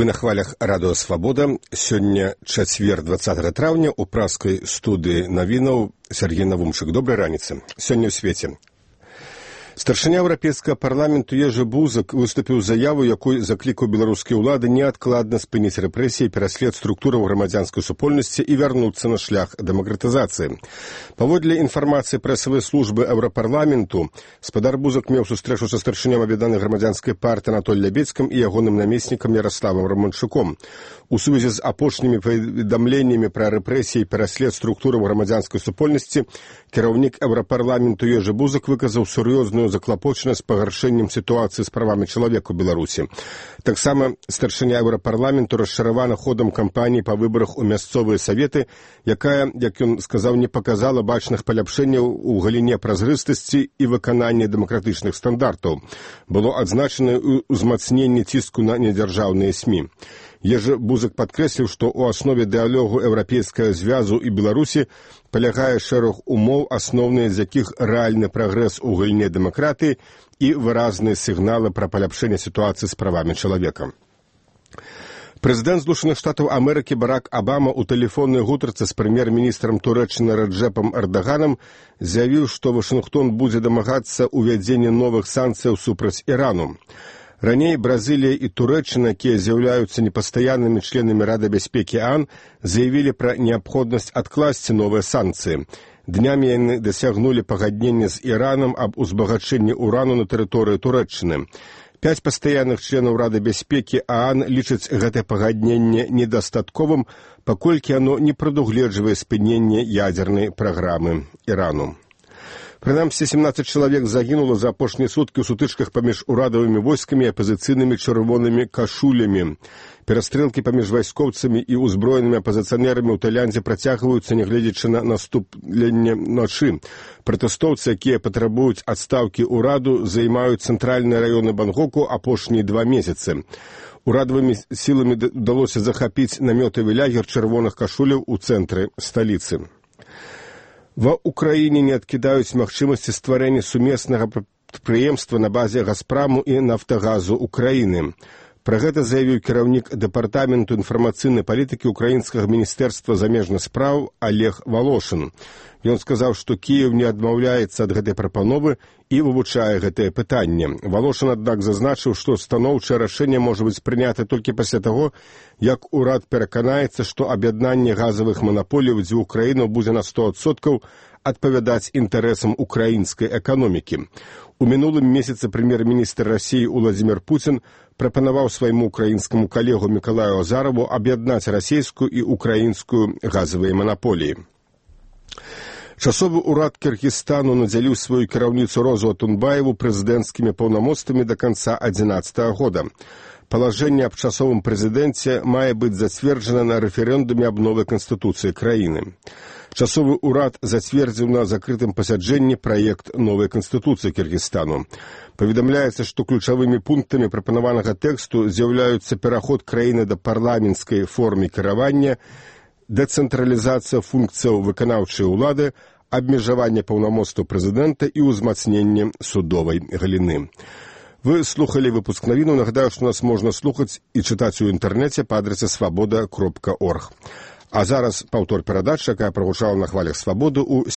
Вы на хвалях радыё «Свабода». Сёння чацвер 20 траўня ў праскай студыі навінаў Сергей Навумчык. Добрай раніцы. Сёння ў свеце. Старшыня Еўрапейскага парламенту Ежы Бузак выступіў з заяву, якой заклікаў беларускія ўлады неадкладна спыніць рэпрэсіі, пераслед структураў грамадзянскай супольнасці і вярнуцца на шлях дэмакратызацыі. Паводле інфармацыі прэсавай службы Еўрапарламенту, спадар Бузак меў сустрэчу са старшынём аб'яднанай грамадзянскай партыі Анатоліем Лябедзькім і ягоным намеснікам Яраславам Раманчуком. У сувязі з апошнімі паведамленнямі пра рэпрэсіі і пераслед структураў грамадзянскай супольнасці, кіраўнік Еўрапарламенту Ежы Бузак выказаў сур'ёзную заклапочанасць пагаршэннем сітуацыі з правамі чалавека ў Беларусі. Таксама старшыня Еўрапарламенту расчаравана ходам кампаніі па выбарах у мясцовыя саветы, якая, як ён сказаў, не паказала бачных паляпшэнняў у галіне празрыстасці і выканання дэмакратычных стандартаў. Было адзначана ўзмацненне ціску на недзяржаўныя СМІ. Ежы Бузак падкрэсліў, што ў аснове дыялогу Еўрапейскага звязу і Беларусі палягае шэраг умоў, асноўныя з якіх рэальны прагрэс у галіне дэмакратыі і выразныя сігналы пра паляпшэнне сітуацыі з правамі чалавека. Прэзідэнт Злучаных Штатаў Амерыкі Барак Абама ў тэлефоннай гутарцы з прэм'ер-міністрам Турэччыны Раджэпам Эрдаганам заявіў, што Вашынгтон будзе дамагацца ўвядзення новых санкцыяў супраць Ірану. Раней Бразілія і Турэччына, якія з'яўляюцца непастаяннымі членамі Рады бяспекі ААН, заявілі пра неабходнасць адкласці новыя санкцыі. Днямі яны дасягнулі пагаднення з Іранам аб узбагачэнні урану на тэрыторыі Турэччыны. 5 пастаянных членаў Рады бяспекі ААН лічаць гэтае пагадненне недастатковым, паколькі яно не прадугледжвае спыненне ядзернай праграмы Ірану. Прынамсі, 17 чалавек загінула за апошнія суткі ў сутычках паміж урадавымі войскамі і апазіцыйнымі чырвонымі кашулямі. Перастрэлкі паміж вайскоўцамі і ўзброенымі апазіцыянерамі ў Тайландзе працягваюцца, нягледзячы на наступленне ночы. Пратэстоўцы, якія патрабуюць адстаўкі ўраду, займаюць цэнтральныя раёны Бангоку апошнія 2 месяцы. Урадавымі сіламі удалося захапіць намётавы лагер чырвоных кашуляў у цэнтры сталіцы. Ва ўкраіне не адкідаюць магчымасці стварэння сумеснага прадпрыемства на базе Газпраму і Нафтагазу Украіны. Пра гэта заявіў кіраўнік дэпартаменту інфармацыйнай палітыкі ўкраінскага міністэрства замежных спраў Олег Волошин. Ён сказаў, што Кіеў не адмаўляецца ад гэтай прапановы і вывучае гэтае пытанне. Волошин, аднак, зазначыў, што станоўчае рашэнне можа быць прынята толькі пасля таго, як урад пераканаецца, што аб'яднанне газавых манаполій дзвюх краінаў будзе на 100% адпавядаць інтарэсам украінскай эканомікі. У мінулым месяцы прэм'ер-міністр Расіі Уладзімір Пуцін прапанаваў свайму украінскаму калегу Мікалаю Азараву аб'яднаць расійскую і украінскую газавыя манаполіі. Часовы ўрад Кыргызстану надзяліў сваю кіраўніцу Розу Атунбаеву прэзідэнцкімі паўнамоцтвамі да канца 2011 года. Палажэнне аб часовым прэзідэнце мае быць зацверджана на рэферэндуме аб новай канстытуцыі краіны. Часовы ўрад зацвердзіў на закрытым пасяджэнні праект новай канстытуцыі Кыргызстану. Паведамляецца, што ключавымі пунктамі прапанаванага тэксту з'яўляюцца пераход краіны да парламенцкай формы кіравання, дэцэнтралізацыя функцыяў выканаўчай улады, абмежаванне паўнамоцтваў прэзідэнта і ўзмацненне судовай галіны. Вы слухалі выпуск навінаў. Нагадаю, што нас можна слухаць і чытаць у інтэрнэце па адрасе свабода.орг. А зараз паўтор перадачы, якая прагучала на хвалях «Свабоды» у